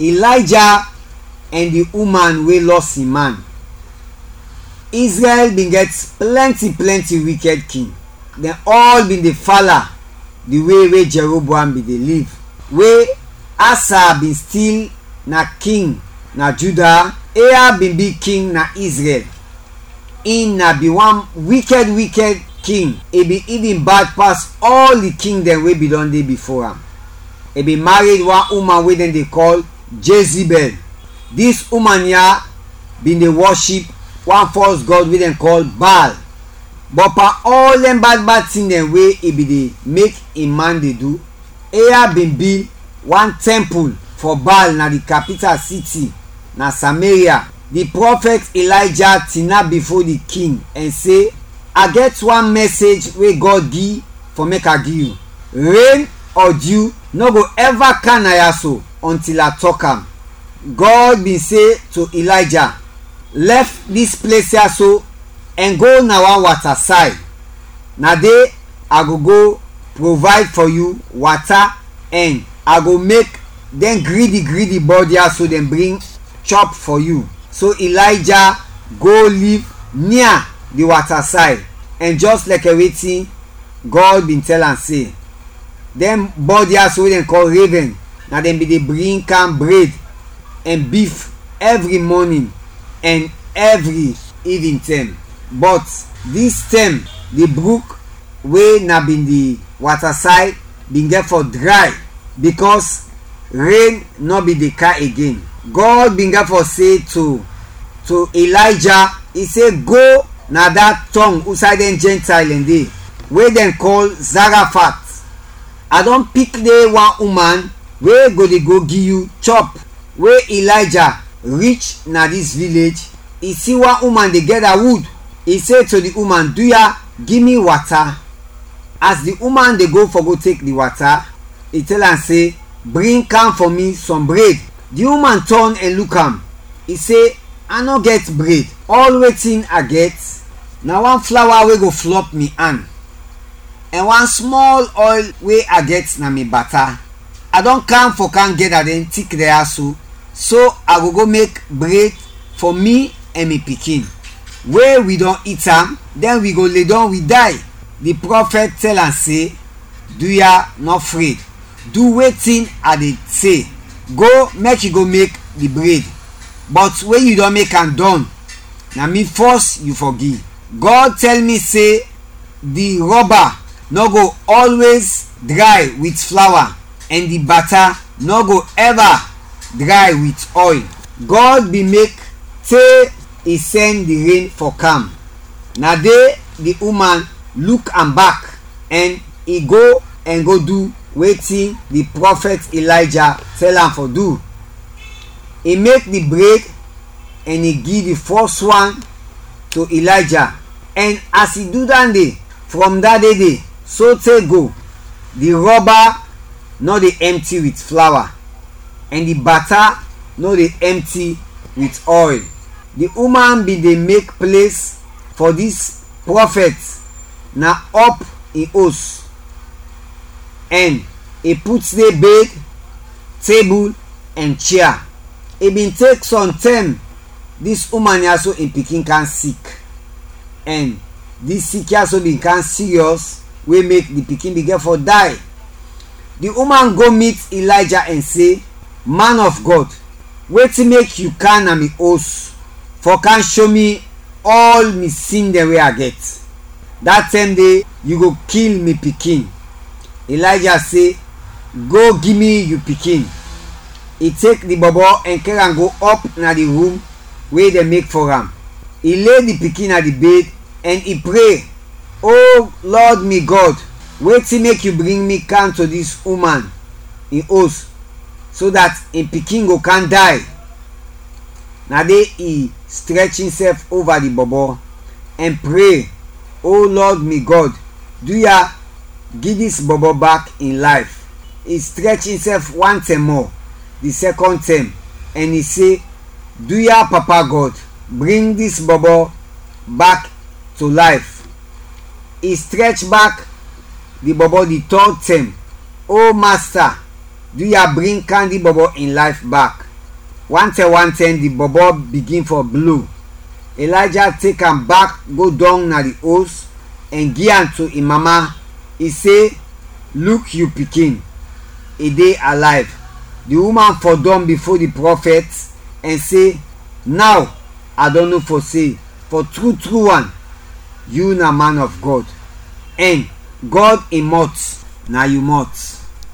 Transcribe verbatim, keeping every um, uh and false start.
Ilayja ɛn di uman we lɔs in man. Izrɛl bin gɛt plɛnti plɛnti wikɛd king. Dɛn ɔl bin de fala di we we Jɛroboam bin de liv. We Asa bin stil na king na Juda, Ehab bin bi king na Izrɛl. In na bin wan wikɛd wikɛd king, i bin ivin bad pas ɔl di king dɛn we bin dɔn de bifo am. I bin mared wan uman we dɛn de kɔl Jezibɛl. Dis uman ya bin de wɔship wan fɔls gɔd we dɛn kɔl Baal. Bɔt pan ɔl dɛn bad bad tin dɛn we i bin de mek in man de du, Ehab bin bil wan tɛmpul fɔ Baal na di kapital siti, na Sameria. Di prɔfɛt Ilayja tinap bifo di king ɛn se, "A gɛt wan mɛsej we Gɔd gi fɔ mek a gi yu. Ren ɔ dyu nɔ go ɛva kam na ya so ɔntil a tɔk am." Gɔd bin se to Ilayja, "Lɛf dis ples ya so ɛn go na wan wata say. Na de a go go provide fɔ yu wata ɛn a go mek dɛn gridi gridi bɔd ya so dɛn bring chɔp fɔ yu." So Ilayja go liv nia di wata say, ɛn jɔs lɛkɛ wetin Gɔd bin tɛl am se, dɛn bɔd ya so we dɛn kɔl revɛn, na dɛn bin de bring kam bred ɛn bif ɛvri mɔnin ɛn ɛvri ivintɛm. Bɔt dis tɛm di bruk we na bin di wata say bin gɛt fɔ dray, bikɔs ren nɔ bin de kam igen. Gɔd bin gɛt fɔ se to to Ilayja, i se, "Go na da tɔng usay dɛn Jɛntayl dɛn de, we dɛn kɔl Zarafat. A dɔn pik de wan uman we go de go gi yu chɔp." We Ilayja rich na dis vilej, i si wan uman de gɛda wud. I se to di uman, "Duya, gi mi wata." As di uman de go fɔ go tek di wata, i tɛl am se, "Bring kam fɔ mi sɔm bred." Di uman tɔn ɛn luk am, i se, "A nɔ gɛt bred. Ɔl wetin a gɛt na wan flawa we go flɔp mi an, ɛn wan smɔl ɔyl we a gɛt na mi bata. A dɔn kam fɔ kam gɛda dɛn tik dɛn ya so, so a go go mek bred fɔ mi ɛn mi pikin. We wi dɔn it am, dɛn wi go ledɔm, wi day." Di prɔfɛt tɛl am se, "Duya, nɔ fred. Du wetin a de se. Go, mek yu go mek di bred. Bɔt we yu dɔn mek am dɔn, na mi fɔs yu fɔ gi. Gɔd tɛl mi se di rɔba nɔ go ɔlwez dray wit flawa, ɛn di bata nɔ go ɛva dray wit ɔyl." Gɔd bin mek te i sɛn di ren fɔ kam. Na de di uman luk am bak, ɛn i go ɛn go du wetin di prɔfɛt Ilayja tɛl am fɔ du. I mek di bred ɛn i gi di fɔs wan to Ilayja, ɛn as i du dande, frɔm da de de sote go, di rɔba nɔ de ɛmti wit flawa, ɛn di bata nɔ de ɛmti wit ɔyl. Di uman bin de mek ples fɔ dis prɔfɛt na ɔp in os, ɛn i put de bed, tebul, ɛn chia. I bin tek sɔm tɛm dis uman ya so in pikin kam sik, ɛn dis sik ya so bin kam siriɔs we mek di pikin bin gɛt fɔ day. Di uman go mit Ilayja ɛn se, "Man of Gɔd, wetin mek yu kam na mi os fɔ kam sho mi ɔl mi sin dɛn we a gɛt? Da tɛm de yu go kil mi pikin." Ilayja se, "Go gi mi yu pikin." I tek di bɔbɔ ɛn kɛr am go ɔp na di rum we dɛn mek fɔ am. I lay di pikin na di bed ɛn i pre, "O Lɔd mi Gɔd, wetin mek yu bring mi kam to dis uman in os, so dat in pikin go kam day?" Na de i strɛch insɛf ova di bɔbɔ ɛn pre, "O Lɔd mi Gɔd, duya, gi dis bɔbɔ bak in layf." I strɛch insɛf wan tɛm mɔ, di sɛkɔn tɛm, ɛn i se, "Duya, Papa Gɔd, bring dis bɔbɔ bak to layf." I strɛch bak di bɔbɔ di tɔd tɛm, "O Masta, duya, bring kam di bɔbɔ in layf bak." Wantɛn wantɛn di bɔbɔ bigin fɔ blo. Elijah tek am bak go dɔng na di os ɛn gi am to in mama. I se, "Luk yu pikin, i de alayv." Di uman fɔdɔm bifo di prɔfɛt ɛn se, "Naw a dɔn no fɔ se, fɔ tru tru wan, yu na man of Gɔd, ɛn Gɔd in mɔt na yu mɔt."